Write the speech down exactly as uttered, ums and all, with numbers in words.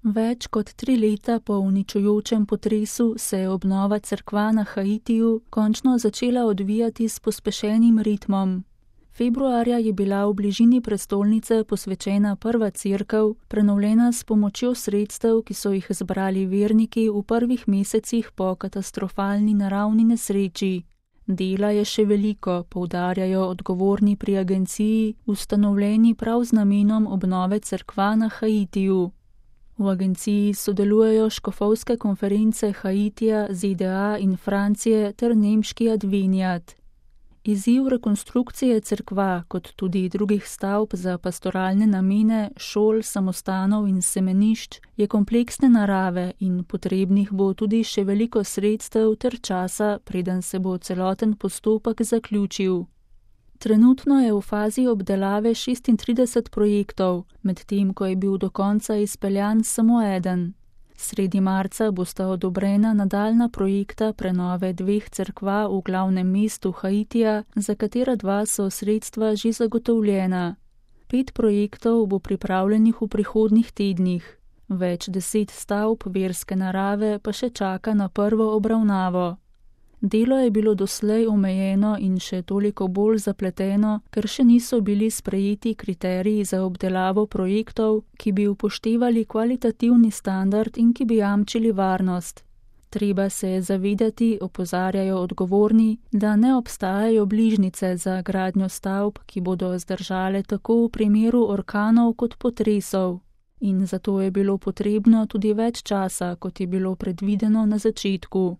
Več kot tri leta po uničujočem potresu se je obnova cerkva na Haitiju končno začela odvijati s pospešenim ritmom. Februarja je bila v bližini prestolnice posvečena prva cerkev, prenovljena s pomočjo sredstev, ki so jih zbrali verniki v prvih mesecih po katastrofalni naravni nesreči. Dela je še veliko, poudarjajo odgovorni pri agenciji, ustanovljeni prav z namenom obnove cerkva na Haitiju. V agenciji sodelujejo škofovske konference Haitija, Z D A in Francije ter nemški Adveniat. Izziv rekonstrukcije cerkva, kot tudi drugih stavb za pastoralne namene, šol, samostanov in semenišč, je kompleksne narave in potrebnih bo tudi še veliko sredstev ter časa, preden se bo celoten postopek zaključil. Trenutno je v fazi obdelave šestintrideset projektov, medtem ko je bil do konca izpeljan samo eden. Sredi marca bosta odobrena nadaljna projekta prenove dveh cerkva v glavnem mestu Haitija, za katera dva so sredstva že zagotovljena. Pet projektov bo pripravljenih v prihodnjih tednih. Več deset stavb verske narave pa še čaka na prvo obravnavo. Delo je bilo doslej omejeno in še toliko bolj zapleteno, ker še niso bili sprejeti kriteriji za obdelavo projektov, ki bi upoštevali kvalitativni standard in ki bi jamčili varnost. Treba se je zavedati, opozarjajo odgovorni, da ne obstajajo bližnjice za gradnjo stavb, ki bodo zdržale tako v primeru orkanov kot potresov. In zato je bilo potrebno tudi več časa, kot je bilo predvideno na začetku.